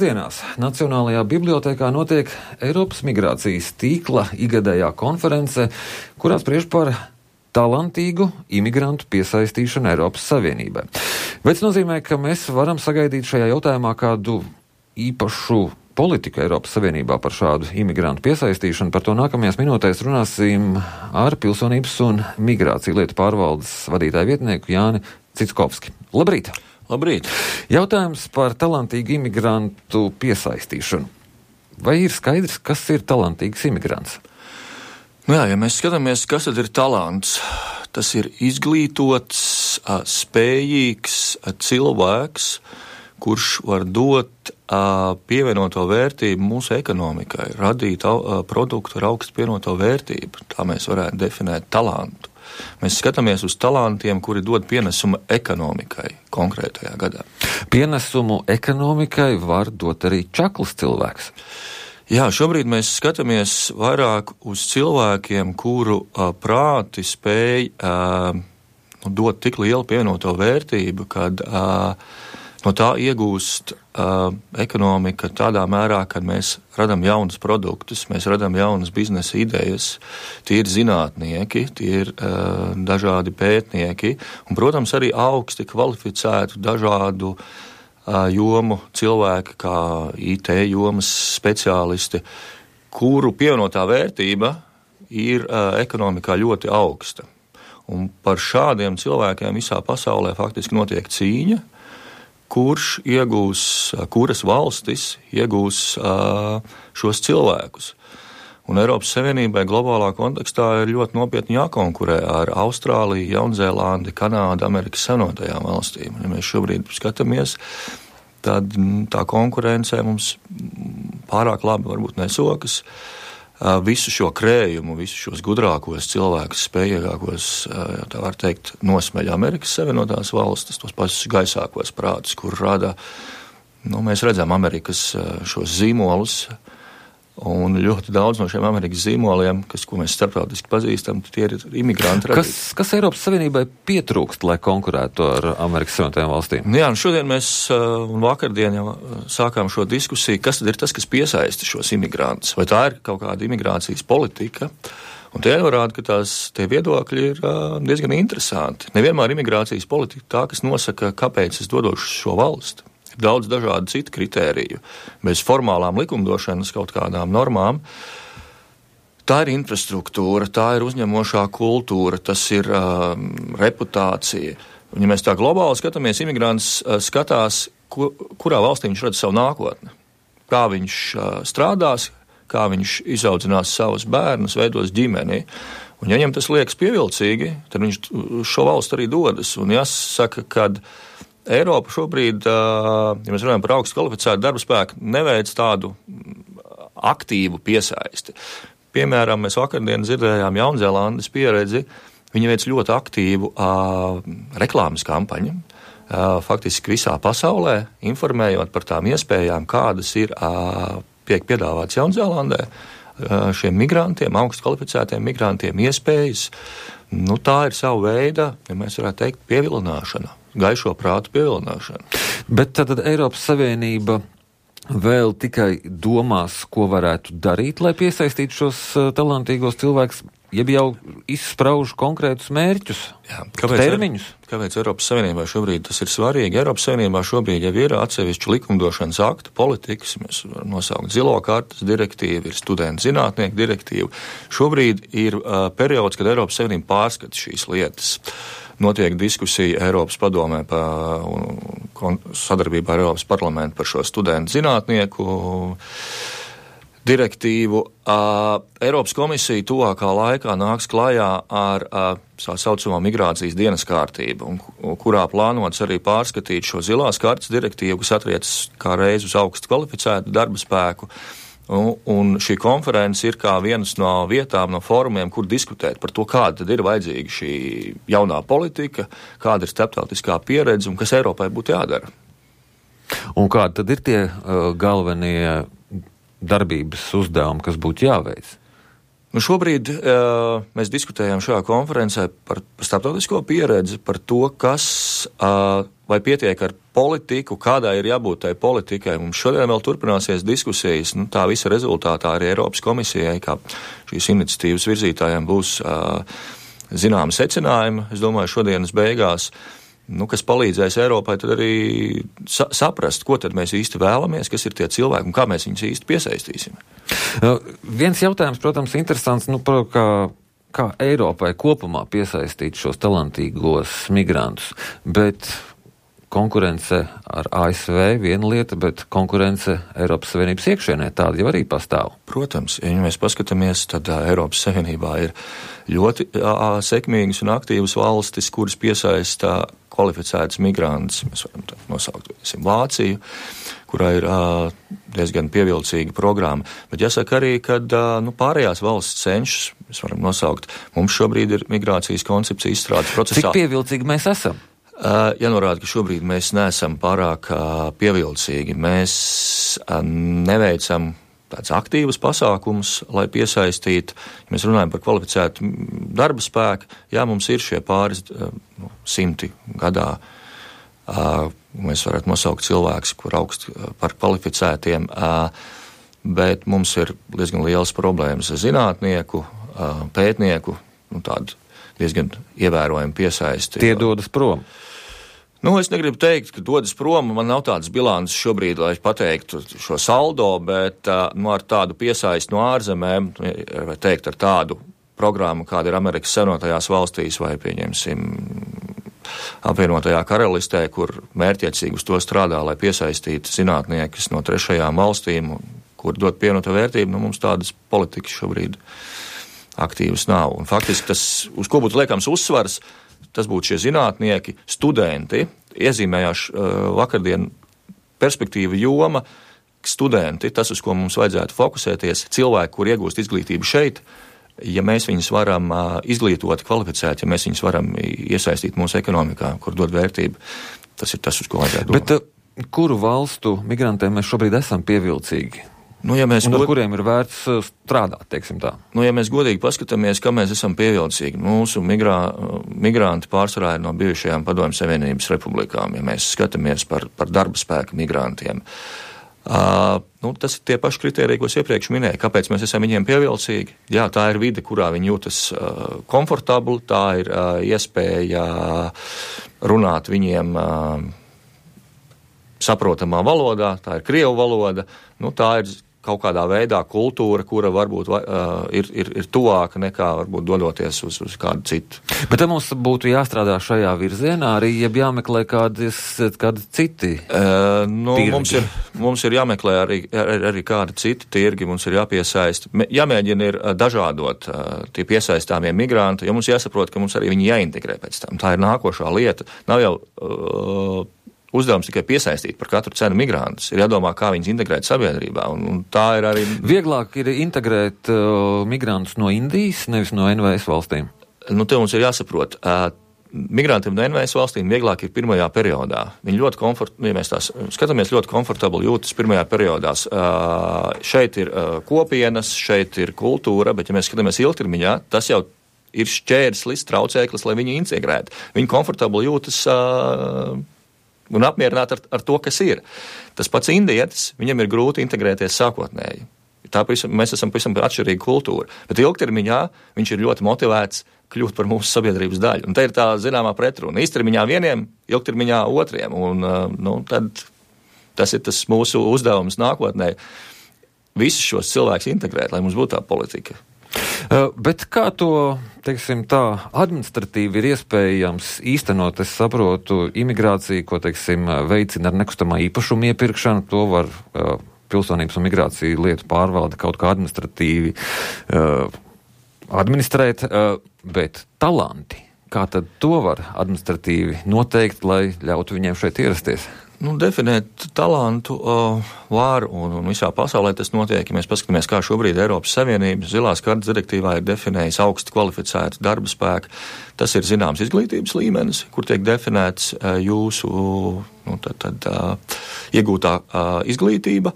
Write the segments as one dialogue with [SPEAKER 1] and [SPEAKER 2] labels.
[SPEAKER 1] Dienās Nacionālajā bibliotēkā notiek Eiropas migrācijas tīkla igadējā konference, kurā spriež par talantīgu imigrantu piesaistīšanu Eiropas Savienībai. Bet tas nozīmē, ka mēs varam sagaidīt šajā jautājumā kādu īpašu politiku Eiropas Savienībā par šādu imigrantu piesaistīšanu. Par to nākamajās minūtēs runāsim ar Pilsonības un migrāciju lietu pārvaldes vadītāju vietnieku Jāni Cickovski. Labrīt!
[SPEAKER 2] Labrīt!
[SPEAKER 1] Jautājums par talantīgu imigrantu piesaistīšanu. Vai ir skaidrs, kas ir talantīgs imigrants?
[SPEAKER 2] Ja mēs skatāmies, kas tad ir talants, tas ir izglītots, spējīgs cilvēks, kurš var dot pievienoto vērtību mūsu ekonomikai, radīt produktu ar augstu pievienoto vērtību. Tā mēs varētu definēt talantu. Mēs skatāmies uz talantiem, kuri dod pienesumu ekonomikai konkrētajā gadā.
[SPEAKER 1] Pienesumu ekonomikai var dot arī čakls cilvēks.
[SPEAKER 2] Jā, šobrīd mēs skatāmies vairāk uz cilvēkiem, kuru prāti spēj dot tik lielu pievienoto vērtību, kad no tā iegūst ekonomika tādā mērā, kad mēs radam jaunus produktus, mēs radam jaunas biznesa idejas, tie ir zinātnieki, tie ir dažādi pētnieki un, protams, arī augsti kvalificētu dažādu jomu cilvēki, kā IT jomas speciālisti, kuru pievienotā vērtība ir ekonomikā ļoti augsta. Un par šādiem cilvēkiem visā pasaulē faktiski notiek cīņa, kuras valstis iegūs šos cilvēkus. Un Eiropas Savienībai globālā kontekstā ir ļoti nopietni jākonkurē ar Austrāliju, Jaunzēlandi, Kanādu, Amerikas Savienotajām valstīm. Ja mēs šobrīd skatāmies, tad tā konkurencē mums pārāk labi varbūt nesokas. Visu šo krējumu, visus šos gudrākos cilvēkus, spējīgākos, tā var teikt, nosmeļ Amerikas Savienotās valstis, tos pašus gaisākos prātus, kur rada, mēs redzam Amerikas šos zīmolus, un ļoti daudz no šiem Amerikas zīmoliem, ko mēs starptautiski pazīstam, tie ir imigranti radīti.
[SPEAKER 1] Kas Eiropas Savienībai pietrūkst, lai konkurētu ar Amerikas Savienotajām valstīm?
[SPEAKER 2] Jā, un šodien mēs, un vakardien jau sākām šo diskusiju, kas tad ir tas, kas piesaista šos imigrantus? Vai tā ir kaut kāda imigrācijas politika? Un tie norāda, ka tie viedokļi ir diezgan interesanti. Nevienmēr imigrācijas politika tā, kas nosaka, kāpēc es dodošu šo valsti. Ir daudz dažādu citu kritēriju. Bez formālām likumdošanas kaut kādām normām. Tā ir infrastruktūra, tā ir uzņemošā kultūra, tas ir reputācija. Un, ja mēs tā globāli skatāmies, imigrants skatās, kurā valstī viņš redz savu nākotni. Kā viņš strādās, kā viņš izaudzinās savus bērnus, veidos ģimeni. Un, ja viņam tas liekas pievilcīgi, tad viņš šo valstu arī dodas. Un jāsaka, kad Eiropa šobrīd, ja mēs runājam par augstu kvalificētu darba spēku, neveic tādu aktīvu piesaisti. Piemēram, mēs vakardien dzirdējām Jaunzēlandes pieredzi, viņi veic ļoti aktīvu reklāmas kampaņu, faktiski visā pasaulē, informējot par tām iespējām, kādas ir tiek piedāvāts Jaunzēlandē, šiem migrantiem, augstu kvalificētiem migrantiem iespējas. Tā ir sava veida, ja mēs varētu teikt, pievilināšana. Gaišo prātu pievilināšana.
[SPEAKER 1] Bet tad Eiropas Savienība vēl tikai domās, ko varētu darīt, lai piesaistītu šos talantīgos cilvēkus, jeb jau izsprauž konkrētus mērķus, termiņus?
[SPEAKER 2] Kāpēc Eiropas Savienībā šobrīd tas ir svarīgi? Eiropas Savienībā šobrīd jau ir atsevišķu likumdošanas aktu politikas, mēs varam nosaukt zilo kartas direktīvu, ir studentu zinātnieku direktīvu. Šobrīd ir periods, kad Eiropas Savienība pārskata šīs lietas. Notiek diskusija Eiropas padomē sadarbībā ar Eiropas parlamentu par šo studentu zinātnieku direktīvu. Eiropas komisija tuvākā laikā nāks klajā ar tā saucamo migrācijas dienas kārtību, kurā plānots arī pārskatīt šo zilās kartas direktīvu, kas attiecas kā reiz uz augstu kvalificētu darba spēku. Un šī konference ir kā vienas no vietām, no fórumiem, kur diskutēt par to, kāda tad ir vajadzīga šī jaunā politika, kāda ir starptautiskā pieredze un kas Eiropai būtu jādara.
[SPEAKER 1] Un kādi tad ir tie galvenie darbības uzdevumi, kas būtu jāveic?
[SPEAKER 2] Nu šobrīd mēs diskutējam šajā konferencē par starptautisko pieredzi, par to, kas vai pietiek ar politiku, kādai ir jābūt tai politikai. Mums šodien vēl turpināsies diskusijas, tā visa rezultātā arī Eiropas komisijai, kā šīs iniciatīvas virzītājiem būs zināmi secinājumi, es domāju, šodienas beigās, kas palīdzēs Eiropai tad arī saprast, ko tad mēs īsti vēlamies, kas ir tie cilvēki un kā mēs viņus īsti piesaistīsim.
[SPEAKER 1] Viens jautājums, protams, interesants, kā Eiropai kopumā piesaistīt šos talantīgos migrantus, bet konkurence ar ASV viena lieta, bet konkurence Eiropas Savienības iekšienē tāda jau arī pastāv.
[SPEAKER 2] Protams, ja mēs paskatāmies, tad Eiropas Savienībā ir ļoti sekmīgas un aktīvas valstis, kuras piesaista kvalificētas migrantus. Mēs varam nosaukt Vāciju, kurā ir diezgan pievilcīga programma. Bet jāsaka arī, ka pārējās valsts cenšas, mēs varam nosaukt, mums šobrīd ir migrācijas koncepcija izstrādes procesā.
[SPEAKER 1] Cik pievilcīgi mēs esam?
[SPEAKER 2] Jānorāda, ka šobrīd mēs neesam pārāk pievilcīgi. Mēs neveicam tāds aktīvas pasākums, lai piesaistītu, ja mēs runājam par kvalificētu darba spēku, mums ir šie pāris simti gadā. Mēs varētu nosaukt cilvēkus, kur augst par kvalificētiem, bet mums ir diezgan liels problēmas ar zinātnieku, pētnieku, tādu diezgan ievērojumu piesaisti.
[SPEAKER 1] Tie dodas prom.
[SPEAKER 2] Es negribu teikt, ka dodas prom, man nav tādas bilances šobrīd, lai pateiktu šo saldo, bet ar tādu piesaisti no ārzemēm, vai teikt ar tādu programmu, kāda ir Amerikas Savienotajās valstīs vai, pieņemsim, apvienotajā karalistē, kur mērķiecīgi uz to strādā, lai piesaistītu zinātniekus no trešajām valstīm, kur dot pievienoto vērtību, mums tādas politikas šobrīd aktīvas nav. Un faktiski tas, uz ko būtu liekams uzsvars, tas būtu šie zinātnieki, studenti, iezīmējās vakardien perspektīva joma, studenti, tas, uz ko mums vajadzētu fokusēties, cilvēki, kur iegūst izglītību šeit, ja mēs viņus varam izglītot, kvalificēt, ja mēs viņus varam iesaistīt mūsu ekonomikā, kur dod vērtību, tas ir tas, uz ko vajadzētu domāt.
[SPEAKER 1] Bet kuru valstu migrantiem mēs šobrīd esam pievilcīgi?
[SPEAKER 2] Ja mēs
[SPEAKER 1] ar kuriem ir vērts strādāt, teiksim tā?
[SPEAKER 2] Ja mēs godīgi paskatāmies, kā mēs esam pievilcīgi, mūsu migranti pārsvarā ir no bijušajām Padomju Savienības republikām, ja mēs skatāmies par darba spēka migrantiem. Tas ir tie paši kritēriji, ko es iepriekš minēju. Kāpēc mēs esam viņiem pievilcīgi? Jā, tā ir vide, kurā viņi jūtas komfortabli, tā ir iespēja runāt viņiem saprotamā valodā, tā ir krievu valoda, tā ir kaut kādā veidā kultūra, kura varbūt ir tuvāka nekā varbūt dodoties uz kādu citu.
[SPEAKER 1] Bet mums būtu jāstrādā šajā virzienā arī, ja jāmeklē kādi citi tirgi.
[SPEAKER 2] Mums ir jāmeklē arī kādi citi tirgi, mums ir jāpiesaist, jāmēģina ir dažādot tie piesaistāmie migranti, jo mums jāsaprot, ka mums arī viņi jāintegrē pēc tam. Tā ir nākošā lieta. Nav jau uzdevums tikai piesaistīt par katru cenu migrantus. Ir jādomā, kā viņus integrēt sabiedrībā, un tā ir arī...
[SPEAKER 1] Vieglāk ir integrēt migrantus no Indijas, nevis no NVS valstīm?
[SPEAKER 2] Te mums ir jāsaprot. Migrantiem no NVS valstīm vieglāk ir pirmajā periodā. Viņi ja mēs tās skatāmies, ļoti komfortabli jūtas pirmajā periodā. Šeit ir kopienas, šeit ir kultūra, bet ja mēs skatāmies ilgtermiņā, tas jau ir šķērslis, traucēklis, lai viņi integrētu. Viņi komfortabli jūtas... un apmierināt ar to, kas ir. Tas pats indietis, viņam ir grūti integrēties sākotnēji. Mēs esam pavisam atšķirīga kultūra, bet ilgtermiņā viņš ir ļoti motivēts kļūt par mūsu sabiedrības daļu. Un te ir tā zināmā pretruna. Īstermiņā vieniem, ilgtermiņā otriem. Un tad tas ir tas mūsu uzdevums nākotnē. Visus šos cilvēkus integrēt, lai mums būtu tā politika.
[SPEAKER 1] Bet kā to, teiksim tā, administratīvi ir iespējams īstenot, es saprotu, imigrāciju, ko, teiksim, veicina ar nekustamā īpašuma iepirkšanu, to var pilsonības un migrāciju lietu pārvalde kaut kā administratīvi administrēt, bet talanti, kā tad to var administratīvi noteikt, lai ļautu viņiem šeit ierasties?
[SPEAKER 2] Definēt talantu var, un visā pasaulē tas notiek, ja mēs paskatāmies, kā šobrīd Eiropas Savienības zilās kartes direktīvā ir definējis augsti kvalificētu darba spēku. Tas ir zināms izglītības līmenis, kur tiek definēts jūsu iegūtā izglītība.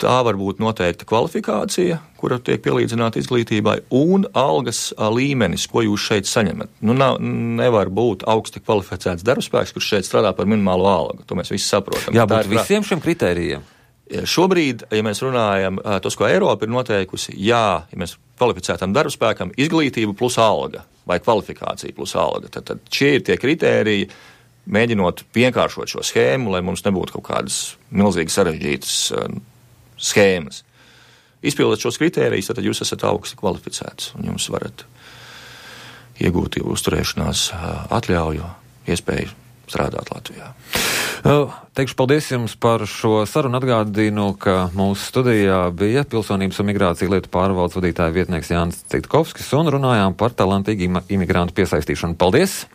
[SPEAKER 2] Tā var būt noteikta kvalifikācija, kura tiek pielīdzināta izglītībai, un algas līmenis, ko jūs šeit saņemat. Nevar būt augsti kvalificēts darbspēks, kurš šeit strādā par minimālo algu. To mēs visi saprotam.
[SPEAKER 1] Jābūt visiem šiem kritērijiem.
[SPEAKER 2] Šobrīd, ja mēs runājam, tos, ko Eiropa ir noteikusi, ja mēs kvalificētam darbspēkam izglītība plus alga vai kvalifikācija plus alga, tad šie ir tie kritēriji, mēģinot vienkāršot šo schēmu, lai mums nebūtu kaut kādas milzīgi sarežģītas schēmas. Izpildot šos kritērijus, tad jūs esat augsti kvalificēts un jums varat iegūt uzturēšanās atļauju, iespēju strādāt Latvijā.
[SPEAKER 1] Teikšu paldies jums par šo sarunu. Atgādinu, ka mūsu studijā bija Pilsonības un migrācija lietu pārvaldes vadītāja vietnieks Jānis Citkovskis un runājām par talantīgu imigrantu piesaistīšanu. Paldies!